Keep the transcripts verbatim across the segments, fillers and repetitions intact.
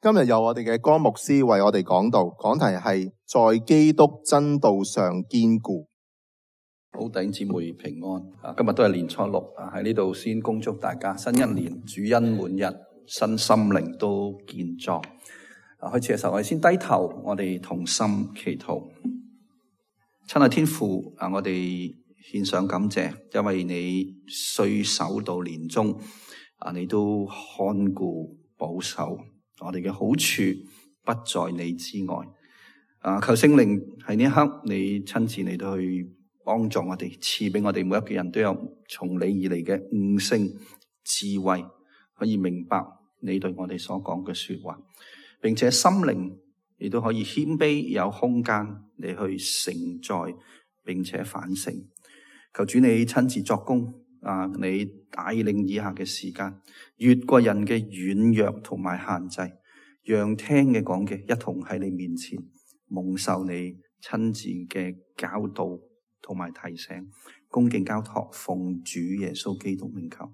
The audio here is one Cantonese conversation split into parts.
今日由我哋嘅江牧師為我哋講道，講題係在基督真道上堅固。好，弟兄姊妹平安啊！今日都係年初六啊，喺呢度先恭祝大家新一年主恩滿溢，身心靈都健壯。啊，開始嘅時候我哋先低頭，我哋同心祈禱。親愛天父啊，我哋獻上感謝，因為你歲首到年終啊，你都看顧保守我哋嘅好處不在你之外啊！求聖靈喺呢一刻，你親自嚟到去幫助我哋，賜俾我哋每一個人都有從你而嚟嘅悟性智慧，可以明白你對我哋所講嘅說話，並且心靈亦都可以謙卑，有空間嚟去承載，並且反省。求主你親自作工啊！你帶領以下嘅時間，越過人嘅軟弱同埋限制，讓聽嘅講嘅一同喺你面前蒙受你親自嘅教導同埋提醒，恭敬交託，奉主耶穌基督名求，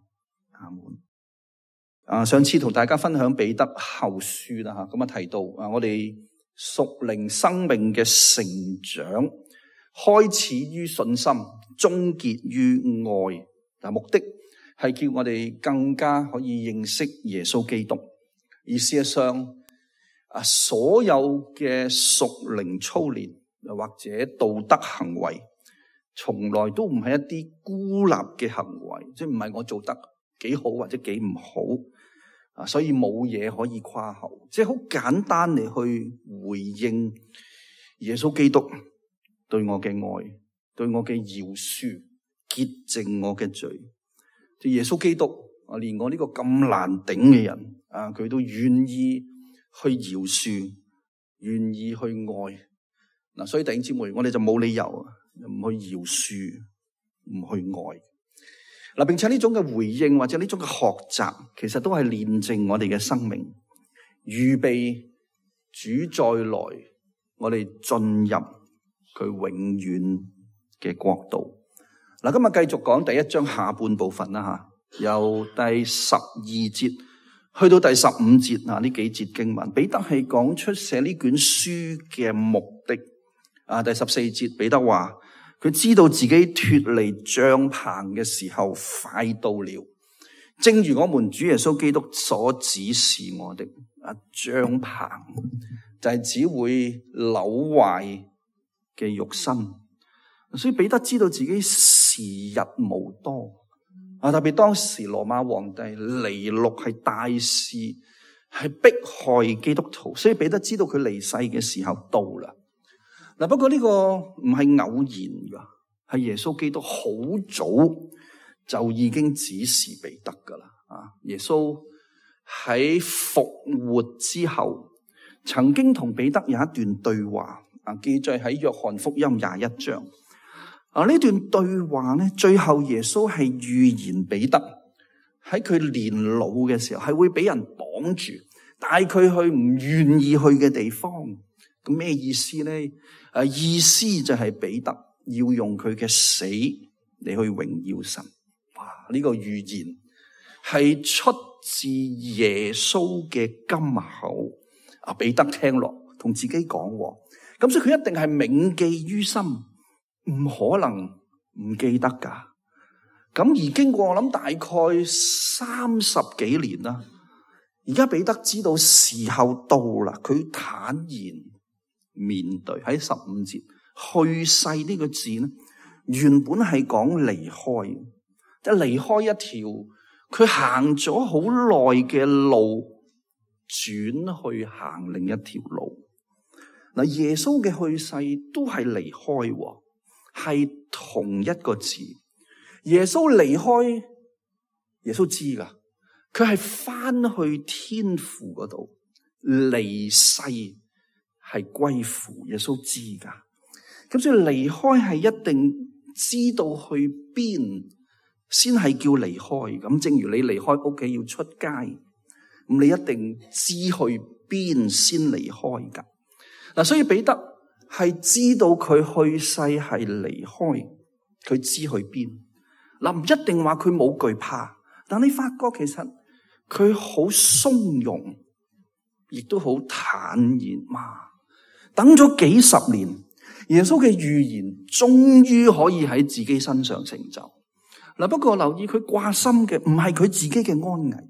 阿門。啊，上次同大家分享彼得後書啦，吓咁啊提到啊，我哋屬靈生命嘅成長，開始於信心，終結於愛。嗱，目的係叫我哋更加可以認識耶穌基督。而事實上，啊，所有嘅屬靈操練又或者道德行為，從來都唔係一啲孤立嘅行為，即係唔係我做得幾好或者幾唔好啊，所以冇嘢可以誇口，即係好簡單嚟去回應耶穌基督對我嘅愛，對我嘅饒恕，潔淨我嘅罪。即耶穌基督啊，連我呢個咁難頂嘅人啊，佢都願意去饒恕，願意去愛。嗱，所以弟兄姊妹，我哋就冇理由唔去饒恕，唔去愛。嗱，並且呢種嘅回應或者呢種嘅學習，其實都係煉淨我哋嘅生命，預備主再來，我哋進入佢永遠嘅國度。嗱，今日繼續講第一章下半部分啦，吓，由第十二節去到第十五節啊，呢幾節經文，彼得係講出寫呢卷書嘅目的。啊，第十四節彼得話，佢知道自己脫離帳篷嘅時候快到了，正如我們主耶穌基督所指示我的。啊，帳篷就係只會朽壞嘅肉身。所以彼得知道自己時日無多啊，特別當時羅馬皇帝尼祿係大肆係迫害基督徒，所以彼得知道佢離世嘅時候到啦。嗱，不過呢個唔係偶然噶，係耶穌基督好早就已經指示彼得噶啦。啊，耶穌喺復活之後，曾經同彼得有一段對話啊，記載喺約翰福音廿一章。啊！呢段對話咧，最後耶穌係預言彼得喺佢年老嘅時候係會俾人綁住，帶佢去唔願意去嘅地方。咁咩意思咧？誒，意思就係彼得要用佢嘅死嚟去榮耀神。哇！呢個預言係出自耶穌嘅金口。啊，彼得聽落同自己講，咁所以佢一定係銘記於心。唔可能唔記得噶，咁而經過我諗大概三十幾年啦，而家彼得知道時候到啦，佢坦然面對。喺十五節去世呢個字咧，原本係講離開，即係離開一條佢行咗好耐嘅路，轉去行另一條路。嗱，耶穌嘅去世都係離開。係同一個字，耶穌離開，耶穌知噶，佢係翻去天父嗰度，離世係歸父，耶穌知噶。咁所以離開係一定知道去邊先係叫離開。咁正如你離開屋企要出街，咁你一定知去邊先離開噶。嗱，所以彼得係知道佢去世係離開，佢知去邊。嗱，唔一定話佢冇懼怕，但你發覺其實佢好鬆容，亦都好坦然嘛。等咗幾十年，耶穌嘅預言終於可以喺自己身上成就。嗱，不過留意佢掛心嘅唔係佢自己嘅安危，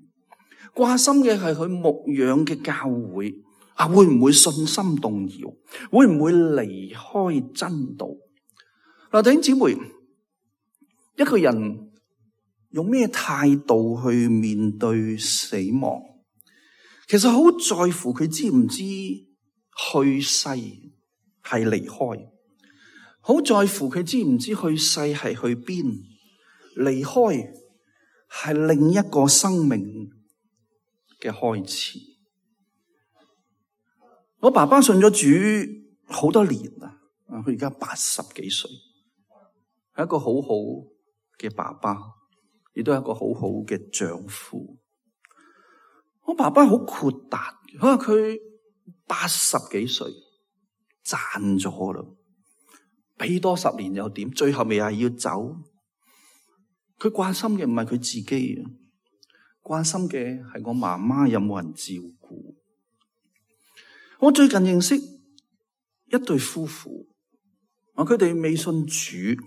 掛心嘅係佢牧養嘅教會啊，會唔會信心動搖？會唔會離開真道？嗱，弟兄姊妹，一個人用咩態度去面對死亡，其實好在乎佢知唔知去世係離開，好在乎佢知唔知去世係去邊，離開係另一個生命嘅開始。我爸爸信咗主好多年啦，佢而家八十幾歲，係一個好好嘅爸爸，亦都係一個好好嘅丈夫。我爸爸好豁達，佢話佢八十幾歲賺咗啦，俾多十年又點？最後咪係要走。佢關心嘅唔係佢自己，關心嘅係我媽媽有冇人照顧。我最近認識一對夫婦，啊，佢哋未信主，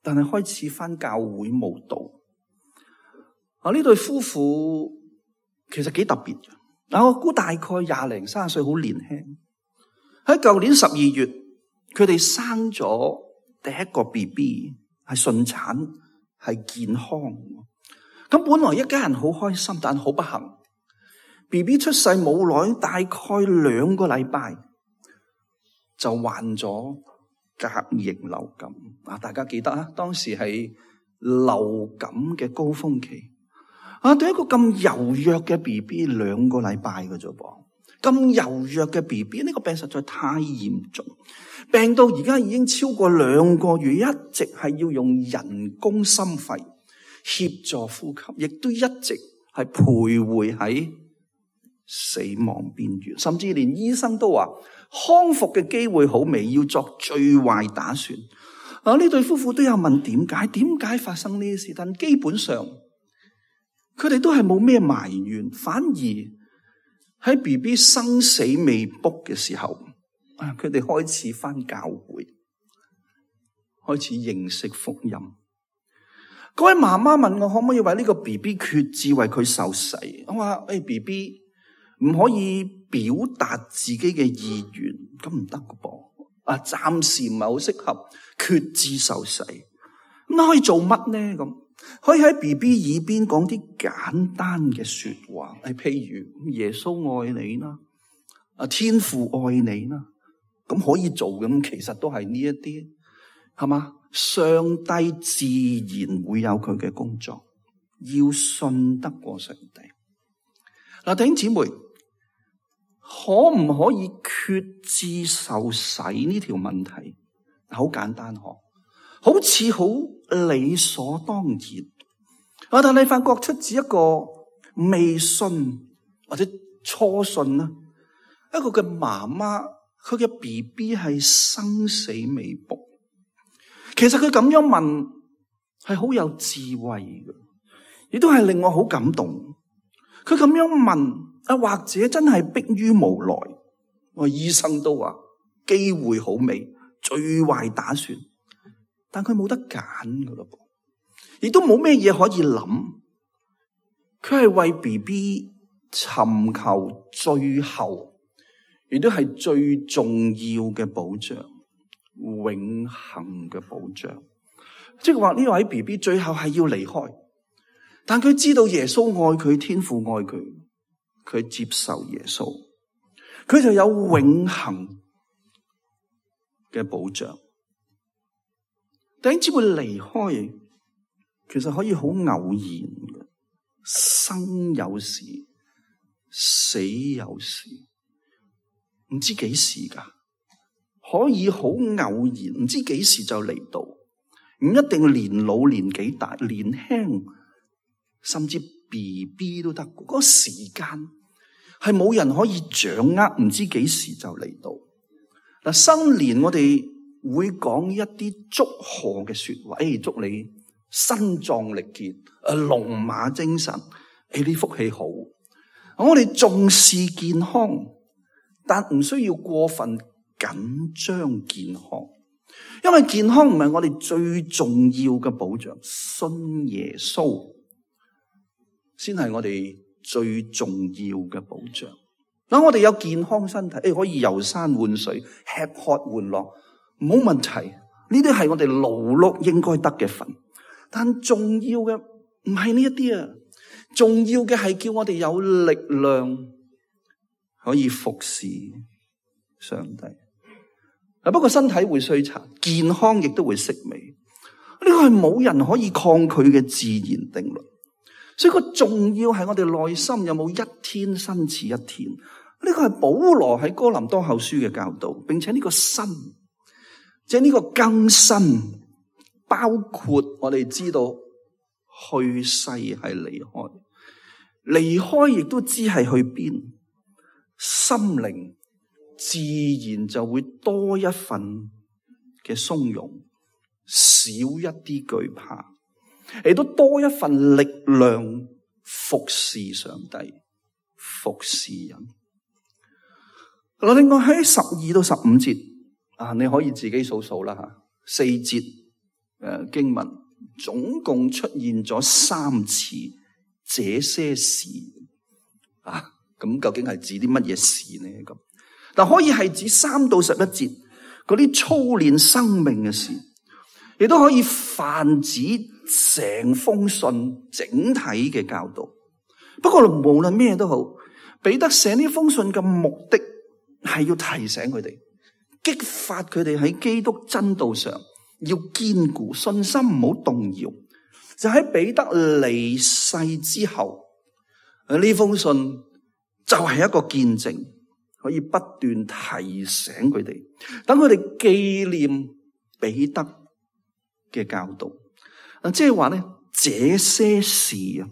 但係開始返教會慕道。啊，呢對夫婦其實幾特別嘅。啊，我估大概廿零三十歲，好年輕。喺舊年十二月，佢哋生咗第一個 B B， 係順產，係健康。咁本來一家人好開心，但好不幸 ，B B 出世冇耐，大概兩個禮拜就患咗甲型流感。啊，大家記得啊，當時係流感嘅高峰期。啊，對一個咁柔弱嘅 B B， 兩個禮拜嘅啫噃，咁柔弱嘅 B B， 呢個病實在太嚴重，病到而家已經超過兩個月，一直係要用人工心肺協助呼吸，亦都一直係徘徊喺死亡邊緣，甚至連醫生都話康復嘅機會好微，要作最壞打算。啊，呢對夫婦都有問點解？點解發生呢啲事？但基本上佢哋都係冇咩埋怨，反而喺 B B 生死未卜嘅時候，啊，佢哋開始返教會，開始認識福音。嗰位媽媽問我可唔可以為呢個 B B 決志為佢受洗？我話誒 B B 唔可以表達自己嘅意願，咁唔得㗎噃。啊，暫時唔係好適合決志受洗。咁可以做乜呢？咁可以喺 B B 耳邊講啲簡單嘅說話，係譬如耶穌愛你啦，啊，天父愛你啦，咁可以做嘅。咁其實都係呢一啲，係嘛？上帝自然會有佢嘅工作，要信得過上帝。嗱，弟兄姊妹，可唔可以決志受洗呢條問題？好簡單嗬，好似好理所當然。啊，但你發覺出自一個未信或者初信啦，一個嘅媽媽，佢嘅 B B 係生死未卜。其實佢咁樣問係好有智慧嘅，亦都係令我好感動。佢咁樣問啊，或者真係迫於無奈。我醫生都話機會好微，最壞打算。但佢冇得揀噶咯噃，亦都冇咩嘢可以諗。佢係為 B B 尋求最後，亦都係最重要嘅保障。永恆嘅保障，即係話呢位 B B 最後係要離開，但佢知道耶穌愛佢，天父愛佢，佢接受耶穌，佢就有永恆嘅保障。弟兄姊妹，離開其實可以好偶然嘅，生有時，死有時，唔知幾時噶。可以好偶然，唔知幾時就嚟到，唔一定年老年紀大，年輕甚至 B B 都得。嗰個時間係冇人可以掌握，唔知幾時就嚟到。嗱，新年我哋會講一啲祝賀嘅說話，誒，祝你身壯力健，誒，龍馬精神，誒，呢福氣好。我哋重視健康，但唔需要過分緊張健康，因為健康唔係我哋最重要嘅保障，信耶穌先係我哋最重要嘅保障。嗱，我哋有健康身體，誒可以遊山玩水、吃喝玩樂，冇問題。呢啲係我哋勞碌應該得嘅份，但重要嘅唔係呢一啲啊，重要嘅係叫我哋有力量可以服侍上帝。嗱，不過身體會衰殘，健康亦都會式微，呢個係冇人可以抗拒嘅自然定律。所以個重要係我哋內心有冇一天新似一天。呢個係保羅喺哥林多後書嘅教導，並且呢個新，即係呢個更新，包括我哋知道去世係離開，離開亦都知係去邊，心靈自然就會多一份嘅鬆容，少一啲懼怕，亦都多一份力量服侍上帝，服侍人。另外喺十二到十五節啊，你可以自己數數啦吓，四節誒經文總共出現咗三次這些事啊，咁究竟係指啲乜嘢事呢？咁但可以係指三到十一節嗰啲操練生命嘅事，亦都可以泛指成封信整體嘅教導。不過無論咩都好，彼得寫呢封信嘅目的係要提醒佢哋，激發佢哋喺基督真道上要堅固信心，唔好動搖。就喺彼得離世之後，呢封信就係一個見證，可以不斷提醒佢哋，等佢哋紀念彼得嘅教導。嗱，即係話咧，這些事啊，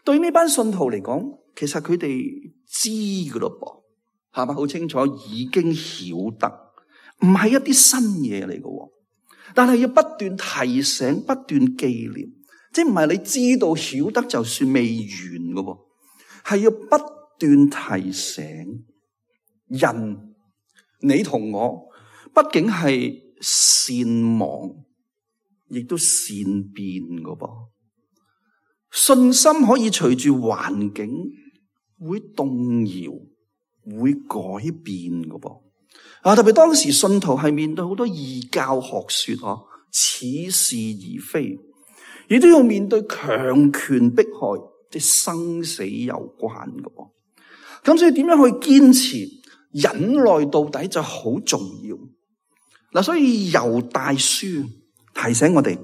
對呢班信徒嚟講，其實佢哋知噶咯噃。係咪好清楚？已經曉得，唔係一啲新嘢嚟嘅，但係要不斷提醒、不斷紀念，即係唔係你知道曉得就算未完嘅，係要不斷提醒人。你同我畢竟係善忘，亦都善變嘅噃。信心可以隨住環境會動搖，會改變嘅噃啊！特別當時信徒係面對好多異教學說，嗬，似是而非，亦都要面對強權迫害，即係生死有關嘅噃。咁所以點樣去堅持忍耐到底就好重要嗱。所以猶大書提醒我哋，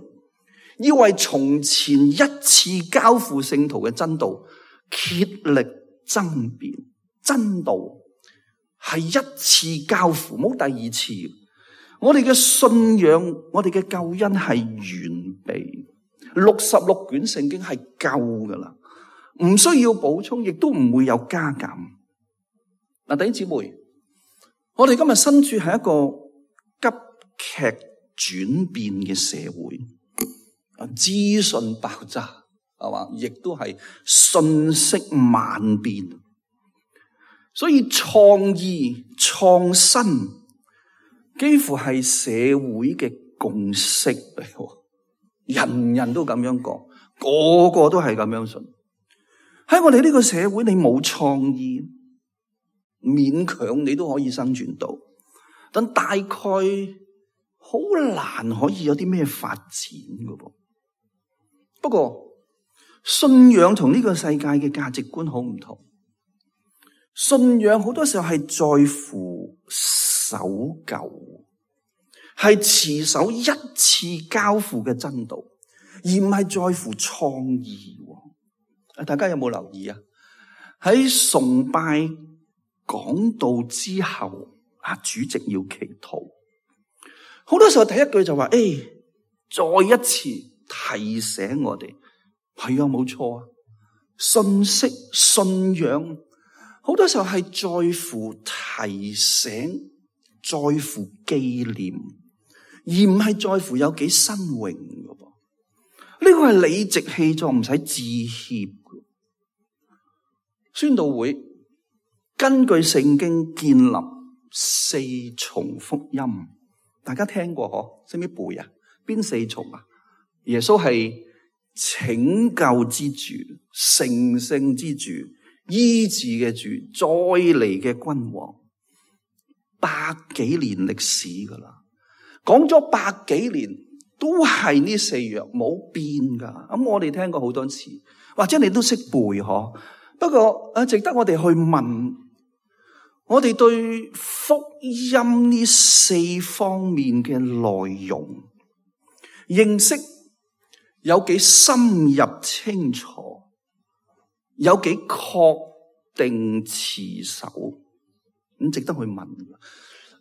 要為從前一次交付聖徒嘅真道竭力爭辯。真道係一次交付，冇第二次。我哋嘅信仰，我哋嘅救恩係完備，六十六卷聖經係夠噶啦，唔需要補充，亦都唔會有加減。嗱，弟兄姊妹，我哋今日身處係一個急劇轉變嘅社會，資訊爆炸係嘛，亦都係信息萬變。所以創意創新幾乎係社會嘅共識嚟，人人都咁樣講，個個都係咁樣信。喺我哋呢個社會，你冇創意，勉強你都可以生存到，但大概好難可以有啲咩發展㗎噃。不過信仰同呢個世界嘅價值觀好唔同。信仰好多時候係在乎守舊，係持守一次交付嘅真道，而唔係在乎創意。大家有冇留意啊？喺崇拜講道之後，啊，主席要祈禱，好多時候第一句就話：誒、哎，再一次提醒我哋，係啊，冇錯啊，信息、信仰。好多時候係在乎提醒，在乎紀念，而唔係在乎有幾新穎嘅噃。呢個係理直氣壯，唔使致歉嘅。宣道會根據聖經建立四重福音，大家聽過嗬？識唔識背啊？邊四重啊？耶穌係拯救之主、成聖之主、醫治嘅主、再嚟嘅君王，百幾年歷史噶啦，講咗百幾年都係呢四樣冇變噶。咁我哋聽過好多次，或者你都識背嗬？不過啊，值得我哋去問，我哋對福音呢四方面嘅內容認識有幾深入清楚，有幾確定持守，咁值得去問。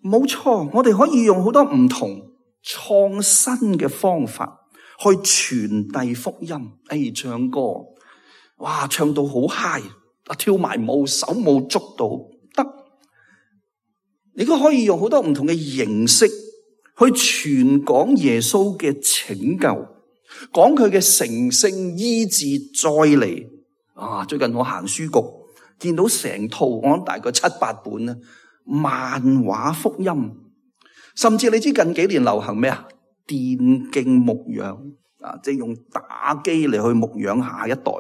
冇錯，我哋可以用好多唔同創新嘅方法去傳遞福音。誒，唱歌，哇，唱到好嗨，啊，跳埋舞，手舞足蹈得。你都可以用好多唔同嘅形式去傳講耶穌嘅拯救，講佢嘅成聖醫治再嚟。啊，最近我行書局，見到成套，我諗大概七八本咧，漫畫福音，甚至你知近幾年流行咩啊？電競牧養啊，即係用打機嚟去牧養下一代，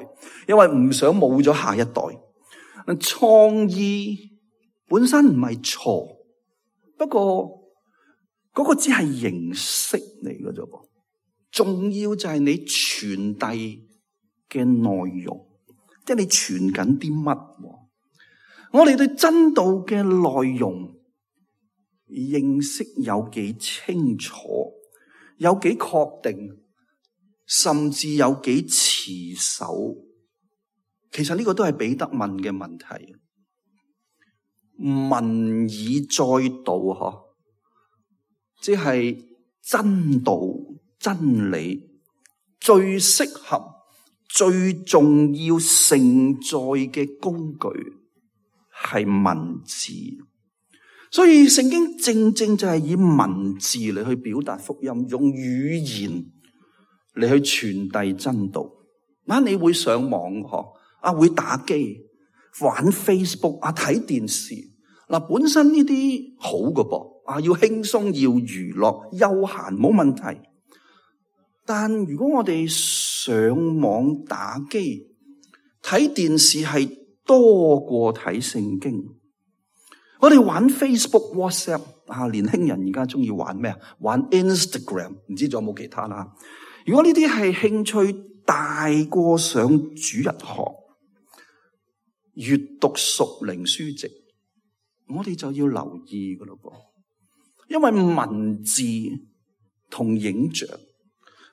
因為唔想冇咗下一代。創意本身唔係錯，不過嗰個只係形式嚟嘅啫噃，重要就係你傳遞嘅內容，即係你傳緊啲乜。我哋對真道嘅內容認識有幾清楚，有幾確定，甚至有幾持守。其實呢個都係彼得問嘅問題。文以載道，嗬，即係真道、真理最適合、最重要承載嘅工具係文字。所以聖經正正就係以文字嚟去表達福音，用語言嚟去傳遞真道。嗱，你會上網嗬，啊會打機、玩 Facebook 啊、睇電視。嗱，本身呢啲好㗎噃，啊要輕鬆、要娛樂、休閒冇問題。但如果我哋上網打機、睇電視係多過睇聖經，我哋玩 Facebook、WhatsApp 啊，年輕人而家中意玩咩啊？玩 Instagram， 唔知仲有冇其他啦。如果呢啲係興趣大過上主日學、閱讀屬靈書籍，我哋就要留意噶咯噃，因為文字同影像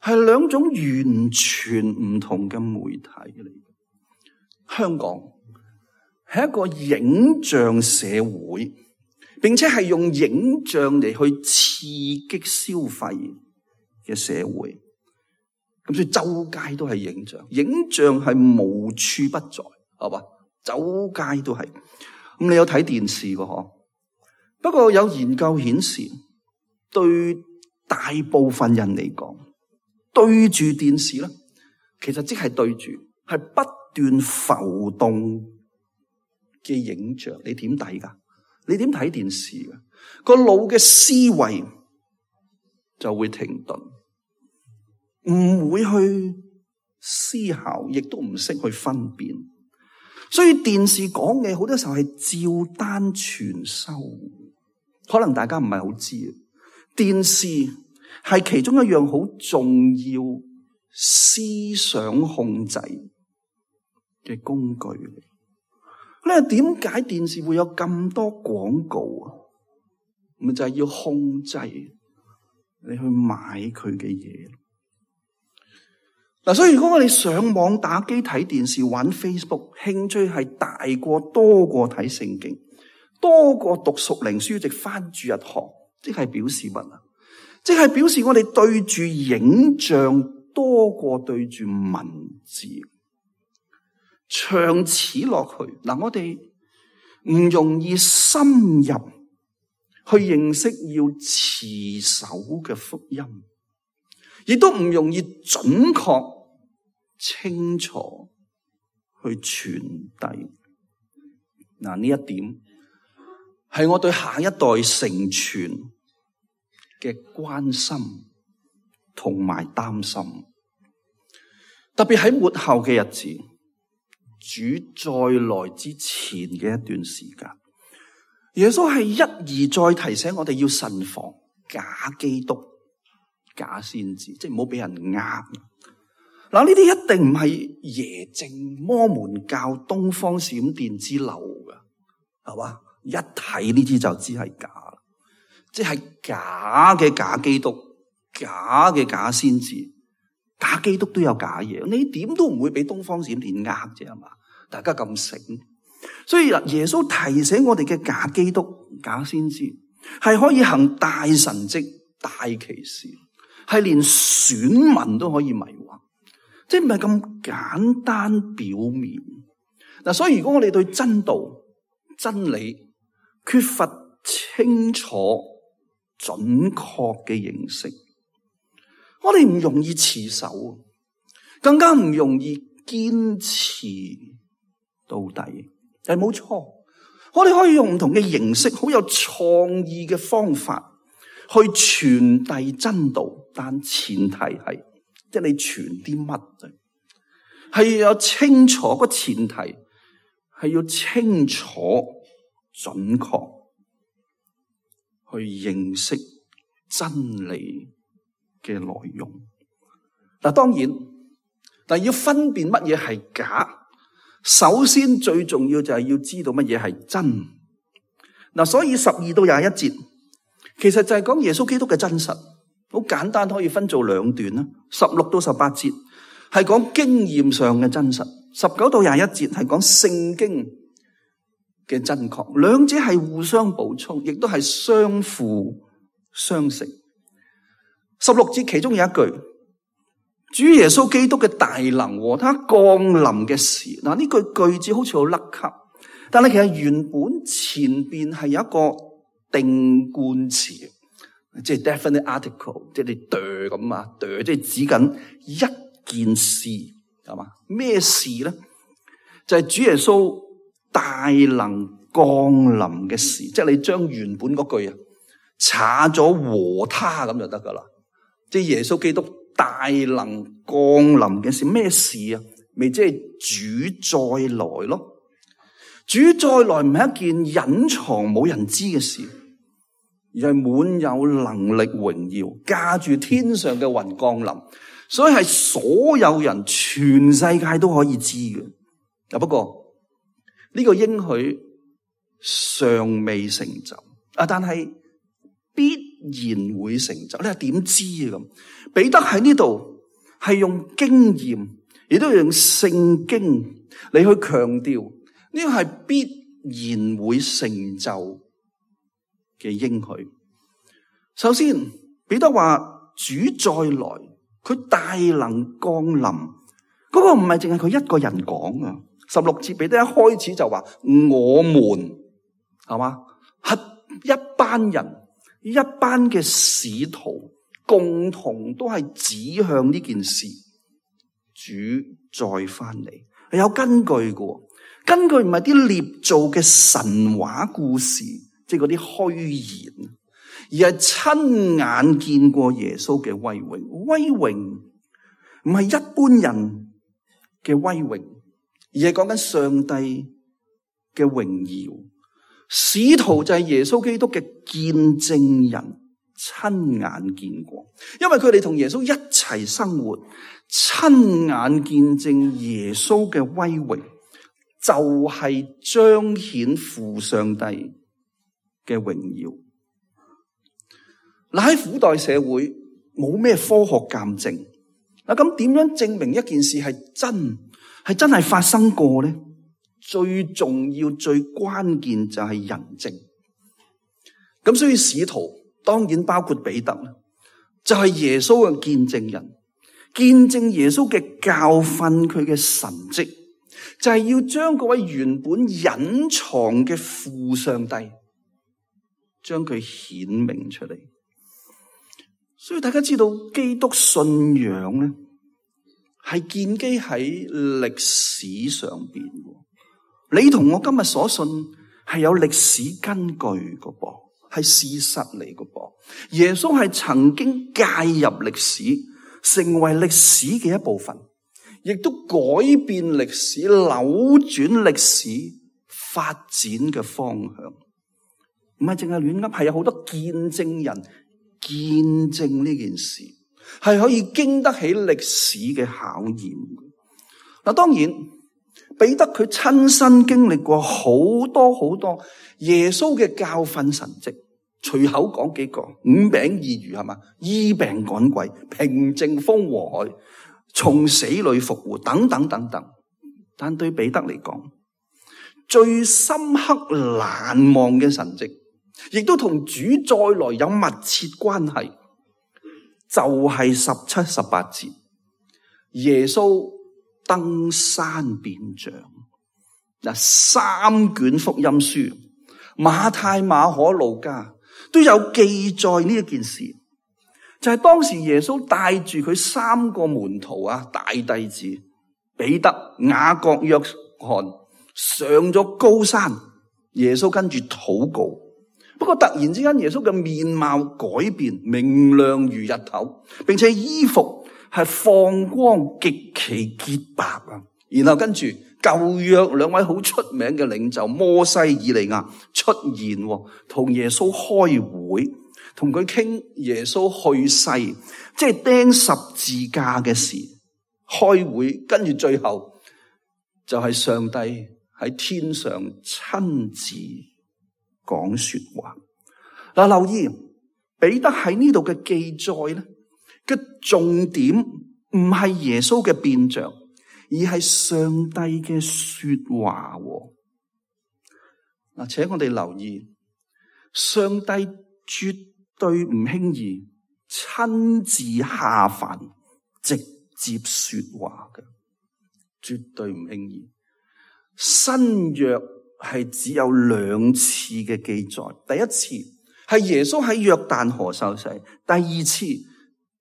係兩種完全唔同嘅媒體嚟。香港係一個影像社會，並且係用影像嚟去刺激消費嘅社會。咁所以周街都係影像，影像係無處不在，係嘛？周街都係。咁你有睇電視嘅嗬？不過有研究顯示，對大部分人嚟講，對住電視咧，其實即係對住係不斷浮動嘅影像。你點睇噶？你點睇電視噶？個腦嘅思維就會停頓，唔會去思考，亦都唔識去分辨。所以電視講嘅好多時候係照單全收。可能大家唔係好知，電視係其中一樣好重要思想控制嘅工具。咧，點解電視會有咁多廣告啊？咪就係要控制你去買佢嘅嘢。嗱，所以如果我哋上網打機、睇電視、玩 Facebook， 興趣係大過多過睇聖經，多過讀屬靈書籍、返主日學，即係表示乜啊？即係表示我哋對住影像多過對住文字。長此落去，嗱，我哋唔容易深入去認識要持守嘅福音，亦都唔容易準確清楚去傳遞。嗱，呢一點係我對下一代成全嘅關心同埋擔心，特別喺末後嘅日子，主再來之前嘅一段時間，耶穌係一而再提醒我哋要慎防假基督、假先知，即係唔好俾人呃。嗱，呢啲一定唔係耶正、摩門教、東方閃電之流噶，係嘛？一睇呢啲就知係假，即係假嘅假基督、假嘅假先知。假基督都有假嘢，你點都唔會俾東方閃電呃啫，係嘛？大家咁醒，所以耶穌提醒我哋嘅假基督、假先知係可以行大神蹟、大奇事，係連選民都可以迷惑，即係唔係咁簡單表面。嗱，所以如果我哋對真道、真理缺乏清楚、準確嘅認識，我哋唔容易持守，更加唔容易堅持到底。係冇錯，我哋可以用唔同嘅形式，好有創意嘅方法去傳遞真道，但前提係，即係你傳啲乜啊？係要有清楚，個前提係要清楚、準確去認識真理嘅內容。嗱，當然，但係要分辨乜嘢係假，首先最重要就係要知道乜嘢係真。嗱，所以十二到廿一節，其實就係講耶穌基督嘅真實，好簡單，可以分做兩段啦。十六到十八節係講經驗上嘅真實，十九到廿一節係講聖經嘅真確，兩者係互相補充，亦都係相輔相成。十六節其中有一句，主耶穌基督嘅大能和他降臨嘅時，嗱，呢句句子好似好甩咳，但係其實原本前邊係有一個定冠詞，即係 definite article， 即係你對咁啊，對即係指緊一件事，係嘛？咩事咧？就係主耶穌大能降臨嘅事，即係你將原本嗰句啊查咗和他咁就得噶啦。即係耶穌基督大能降臨嘅事，咩事啊？咪即係主再來咯。主再來唔係一件隱藏冇人知嘅事，而係滿有能力榮耀，駕住天上嘅雲降臨，所以係所有人全世界都可以知嘅。啊，不過呢個應許尚未成就啊，但係必然會成就。你係點知啊？咁彼得喺呢度係用經驗，亦都用聖經嚟去強調呢個係必然會成就嘅應許。首先，彼得話主再來，佢大能降臨，嗰個唔係淨係佢一個人講啊。十六節彼得一開始就話我們係嘛，係一班人。一班嘅使徒共同都係指向呢件事，主再翻嚟係有根據嘅，根據唔係啲捏造嘅神話故事，即係嗰啲虛言，而係親眼見過耶穌嘅威榮。威榮唔係一般人嘅威榮，而係講緊上帝嘅榮耀。使徒就係耶穌基督嘅見證人，親眼見過，因為佢哋同耶穌一齊生活，親眼見證耶穌嘅威榮，就係彰顯父上帝嘅榮耀。嗱，喺古代社會冇咩科學鑑證，嗱，咁點樣證明一件事係真係真係發生過咧？最重要、最關鍵就係人證。咁所以使徒當然包括彼得啦，就係耶穌嘅見證人，見證耶穌嘅教訓，佢嘅神蹟，就係要將嗰位原本隱藏嘅父上帝，將佢顯明出嚟。所以大家知道基督信仰咧，係建基喺歷史上邊。你同我今日所信係有歷史根據嘅噃，係事實嚟嘅噃。耶穌係曾經介入歷史，成為歷史嘅一部分，亦都改變歷史、扭轉歷史發展嘅方向。唔係淨係亂噏，係有好多見證人見證呢件事，係可以經得起歷史嘅考驗。嗱，當然彼得佢親身經歷過好多好多耶穌嘅教訓神蹟，隨口講幾個，五餅二魚係嘛，醫病趕鬼，平靜風和海，從死裏復活，等等等等。但對彼得嚟講，最深刻難忘嘅神蹟，亦都同主再來有密切關係，就係十七、十八節，耶穌登山變像。嗱，三卷福音書，馬太、馬可、路加都有記載呢一件事，就係當時耶穌帶住佢三個門徒啊，大弟子彼得、雅各、約翰上咗高山，耶穌跟住禱告。不過突然之間，耶穌嘅面貌改變，明亮如日頭，並且衣服係放光，極其潔白啊！然後跟住舊約兩位好出名嘅領袖摩西、以利亞出現，同耶穌開會，同佢傾耶穌去世，即係釘十字架嘅事。開會，跟住最後就係上帝喺天上親自講說話。嗱，留意彼得喺呢度嘅記載咧，嘅重點唔係耶穌嘅變像，而係上帝嘅說話。嗱，請我哋留意，上帝絕對唔輕易親自下凡直接說話嘅，絕對唔輕易。新約係只有兩次嘅記載，第一次係耶穌喺約旦河受洗，第二次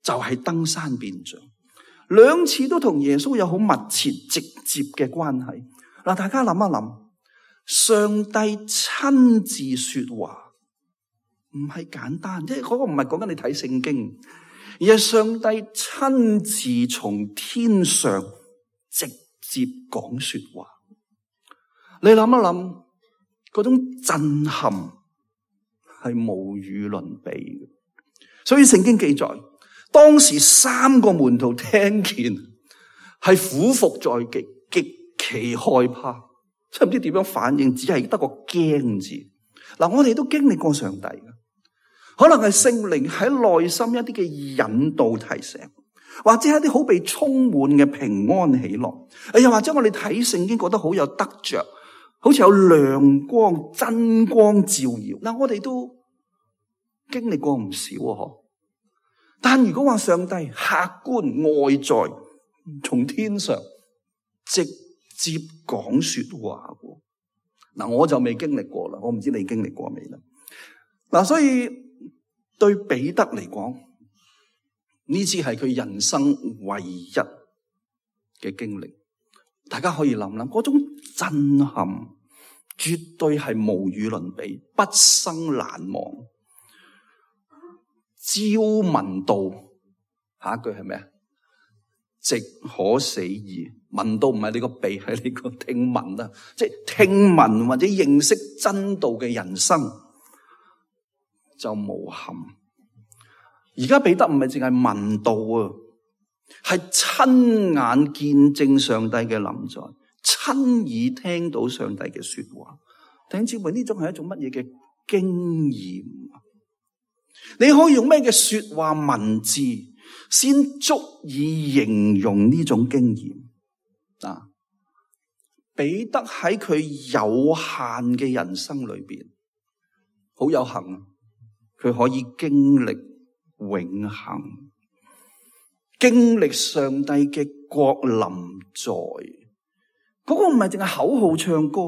就係登山變像，兩次都同耶穌有好密切直接嘅關係。嗱，大家諗一諗，上帝親自說話唔係簡單，即係嗰個唔係講緊你睇聖經，而係上帝親自從天上直接講說話。你諗一諗，嗰種震撼係無與倫比嘅。所以聖經記載，當時三個門徒聽見係俯伏在極，極其害怕，即係唔知點樣反應，只係得個驚字。嗱，我哋都經歷過上帝嘅，可能係聖靈喺內心一啲嘅引導提醒，或者係一啲好被充滿嘅平安喜樂，又或者我哋睇聖經覺得好有得着，好似有亮光、真光照耀。嗱，我哋都經歷過唔少啊，嗬。但如果話上帝客觀外在從天上直接講說話，嗱，我就未經歷過啦，我唔知你經歷過未啦。嗱，所以對彼得嚟講，呢次係佢人生唯一嘅經歷。大家可以諗諗，嗰種震撼絕對係無與倫比，畢生難忘。朝聞道，下一句係咩啊？直可死矣。聞道唔係你個鼻，係你個聽聞啊！即係聽聞或者認識真道嘅人生就無憾。而家彼得唔係淨係聞道啊，係親眼見證上帝嘅臨在，親耳聽到上帝嘅說話。弟兄姊妹，呢種係一種乜嘢嘅經驗？你可以用咩嘅說話文字先足以形容呢種經驗啊？彼得喺佢有限嘅人生裏邊，好有幸，佢可以經歷永恆，經歷上帝嘅國臨在。嗰個唔係淨係口號唱歌，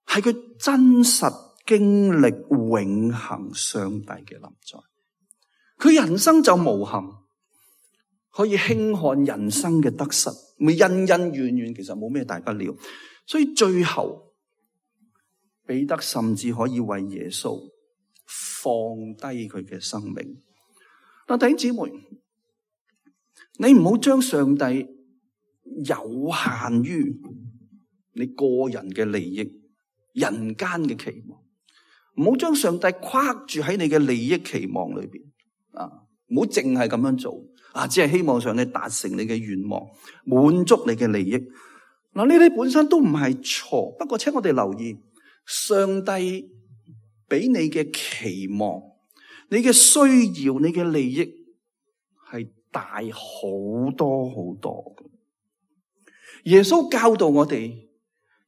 係佢真實經歷永恆上帝嘅臨在。佢人生就無憾，可以輕看人生嘅得失，咪恩恩怨怨，其實冇咩大不了。所以最後彼得甚至可以為耶穌放低佢嘅生命。嗱，弟兄姊妹，你唔好將上帝有限於你個人嘅利益、人間嘅期望，唔好將上帝框住喺你嘅利益期望裏邊啊！唔好淨係咁樣做啊！只係希望上帝達成你嘅願望，滿足你嘅利益。嗱，呢啲本身都唔係錯，不過請我哋留意，上帝俾你嘅期望、你嘅需要、你嘅利益係大好多好多。耶穌教導我哋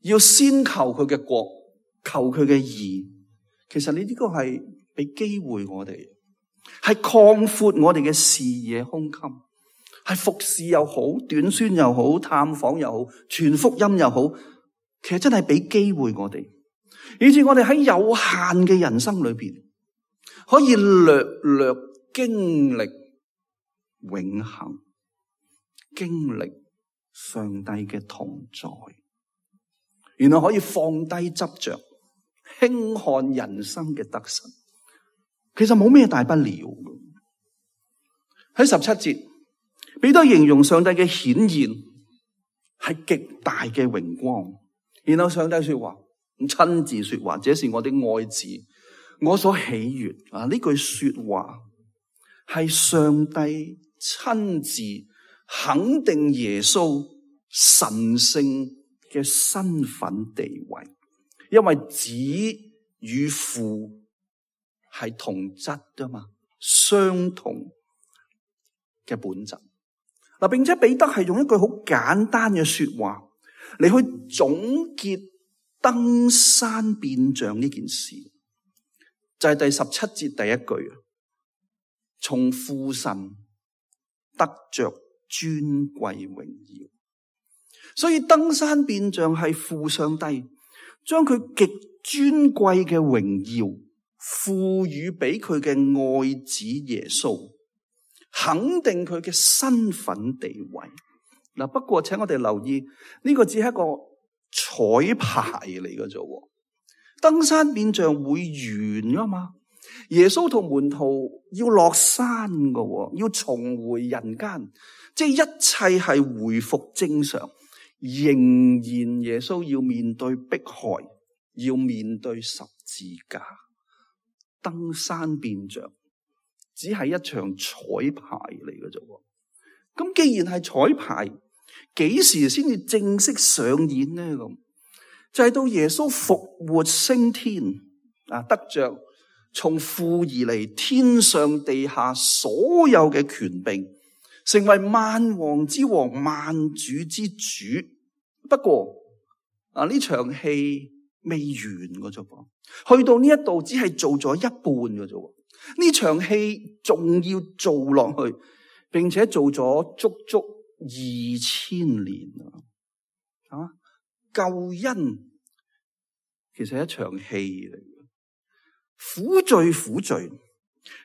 要先求佢嘅國，求佢嘅義。其實呢啲個係俾機會我哋，係擴闊我哋嘅視野胸襟，係服侍又好，短宣又好，探訪又好，傳福音又好，其實真係俾機會我哋，以致我哋喺有限嘅人生裏邊，可以略略經歷永恆，經歷上帝嘅同在，原來可以放低執着，輕看人生嘅得失，其實冇咩大不了。喺十七節，彼得形容上帝嘅顯現係極大嘅榮光，然後上帝說話，親自說話，這是我的愛子，我所喜悅。啊，呢句說話係上帝親自肯定耶穌神聖嘅身份地位，因為子與父係同質㗎嘛，相同嘅本質。嗱，並且彼得係用一句好簡單嘅說話嚟去總結登山變像呢件事，就係第十七節第一句啊，從父神得着尊貴榮耀。所以登山變像係父上帝將佢極尊貴嘅榮耀賦予俾佢嘅愛子耶穌，肯定佢嘅身份地位。嗱，不過請我哋留意，呢個只係一個彩排嚟嘅啫。登山變像會完噶嘛？耶穌同門徒要落山嘅，要重回人間，即係一切係回復正常。仍然耶穌要面對迫害，要面對十字架。登山變像只係一場彩排嚟嘅啫。咁既然係彩排，幾時先至正式上演呢？咁就係到耶穌復活升天啊，得着從父而嚟，天上地下所有嘅權柄，成為萬王之王、萬主之主。不過啊，呢場戲未完嘅啫噃，去到呢一度只係做咗一半嘅啫。呢場戲仲要做落去，並且做咗足足二千年啊！救恩其實係一場戲嚟嘅，苦罪苦罪。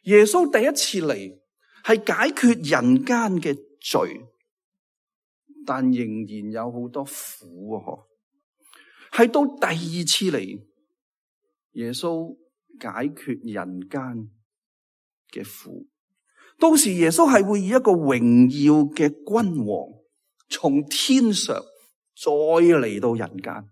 耶穌第一次嚟係解決人間嘅罪，但仍然有好多苦啊！係到第二次嚟，耶穌解決人間嘅苦。到時耶穌係會以一個榮耀嘅君王從天上再嚟到人間，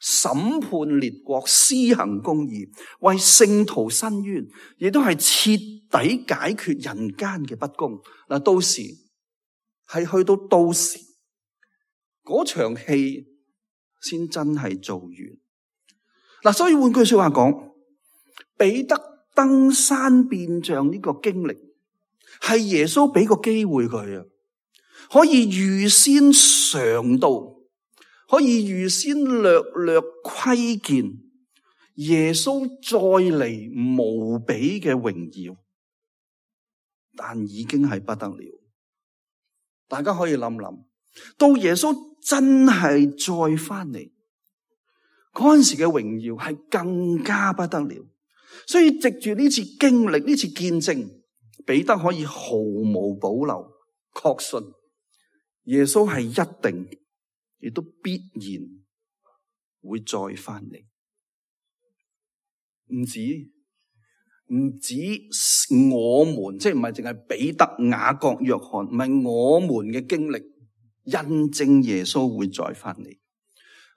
審判列國，施行公義，為聖徒伸冤，亦都係徹底解決人間嘅不公。嗱，到時係去到到時嗰場戲先真係做完。嗱，所以換句說話講，彼得登山變像呢個經歷係耶穌俾個機會佢啊，可以預先嘗到，可以預先略略窺見耶穌再嚟無比嘅榮耀，但已經係不得了。大家可以諗諗，到耶穌真係再翻嚟嗰陣時嘅榮耀係更加不得了。所以藉住呢次經歷，呢次見證，彼得可以毫無保留確信耶穌係一定亦都必然會再翻嚟。唔止唔止我們，即係唔係淨係彼得、雅各、約翰，唔係我們嘅經歷印證耶穌會再翻嚟。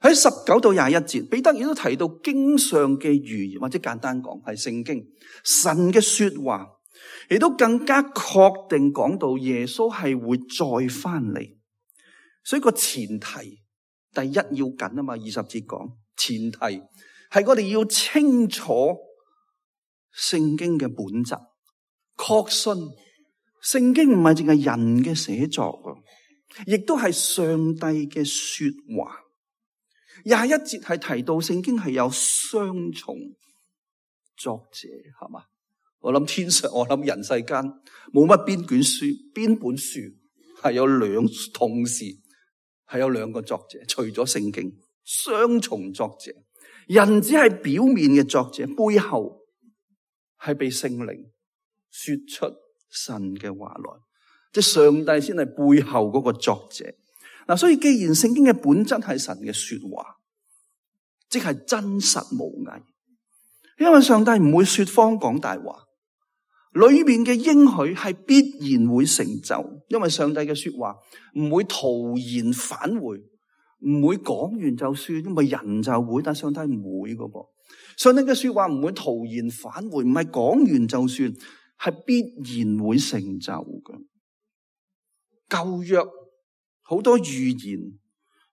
喺十九到廿一節，彼得亦都提到經上嘅預言，或者簡單講係聖經神嘅說話，亦都更加確定講到耶穌係會再翻嚟。所以個前提第一要緊啊嘛，二十節講前提係我哋要清楚聖經嘅本質，確信聖經唔係淨係人嘅寫作，亦都係上帝嘅說話。廿一節係提到聖經係有雙重作者，係嘛？我諗天上，我諗人世間冇乜邊卷書，邊本書係有兩同時係有兩個作者，除咗聖經，雙重作者。人只係表面嘅作者，背後係被聖靈說出神嘅話來，即係上帝先係背後嗰個作者。嗱，所以既然聖經嘅本質係神嘅說話，即係真實無偽，因為上帝唔會說謊講大話，裏面嘅應許係必然會成就，因為上帝嘅說話唔會徒然返回，唔會講完就算，因為人就會，但上帝唔會噶噃。上帝嘅說話唔會徒然返回，唔係講完就算，係必然會成就嘅。舊約好多預言，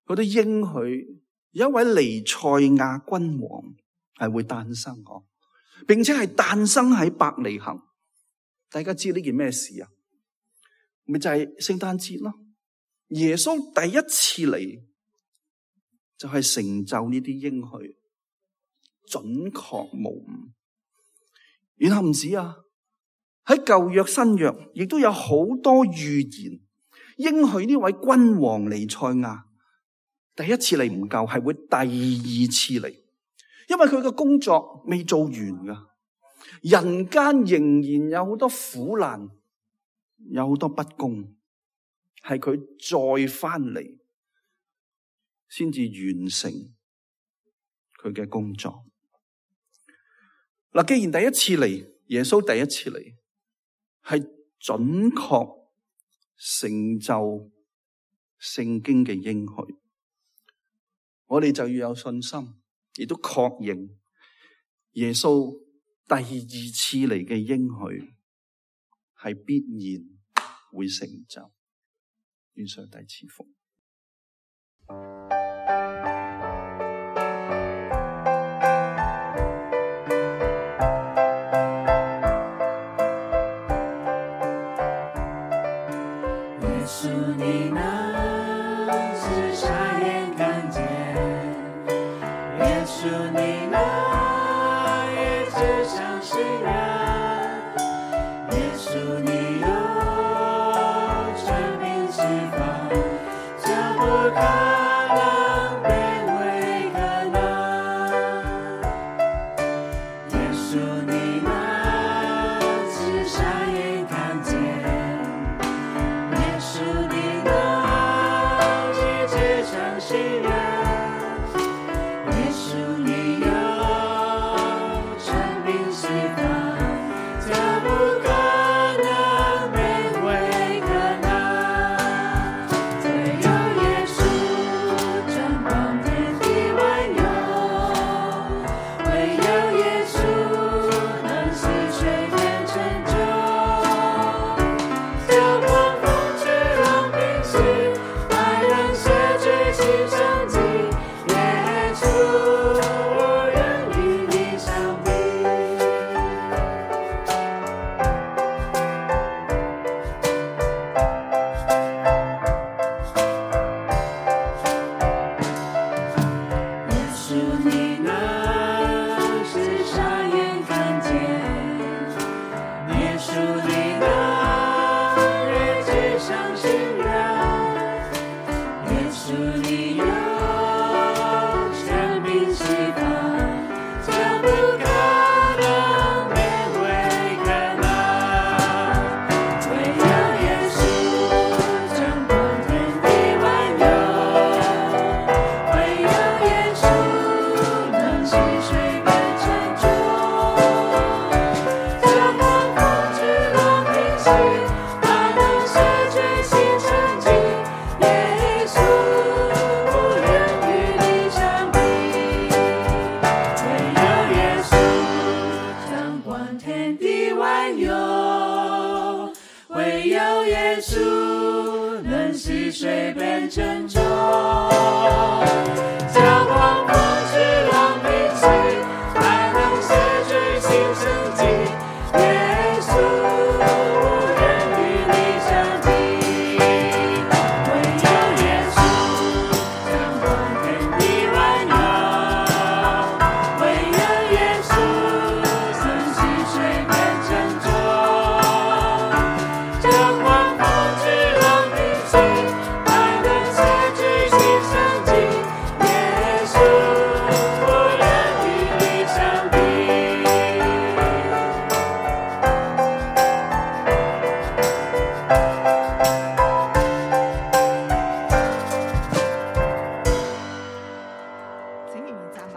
好多應許，有一位彌賽亞君王係會誕生嗬，並且係誕生喺伯利恆。大家知呢件咩事啊？咪就係聖誕節咯。耶穌第一次嚟就係成就呢啲應許，準確無誤。然後唔止啊，喺舊約新約亦都有好多預言應許呢位君王彌賽亞第一次嚟唔夠，係會第二次嚟，因為佢嘅工作未做完噶，人間仍然有好多苦難，有好多不公，係佢再翻嚟先至完成佢嘅工作。嗱，既然第一次嚟，耶穌第一次嚟係準確成就聖經嘅應許，我哋就要有信心，亦都確認耶穌第二次嚟嘅應許係必然會成就。願上帝賜福。天地萬有，唯有耶穌能使水變成舟，叫狂風之浪平息，還能寫句新生機。耶穌無人與你相比，唯有耶穌掌管天地萬有，唯有耶穌能使水變成舟，叫狂風之浪平息，還能寫句新生機。耶穌無人與你相比。請仍然站立。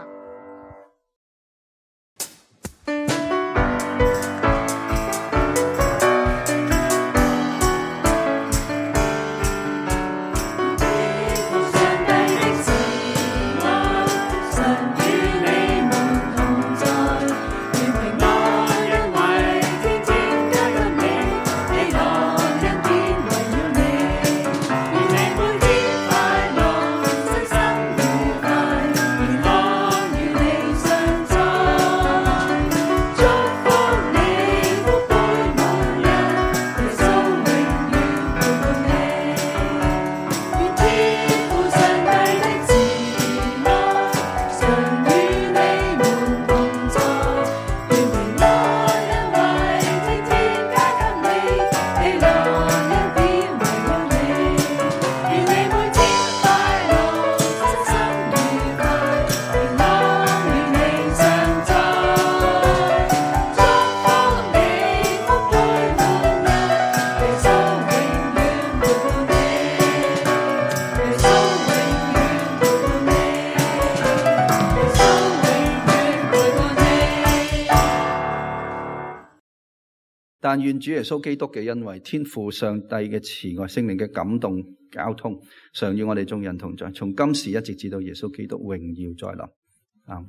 但願主耶穌基督嘅恩惠、天父上帝嘅慈愛、聖靈嘅感動、交通，常與我哋眾人同在，從今時一直至到耶穌基督榮耀再臨。啊！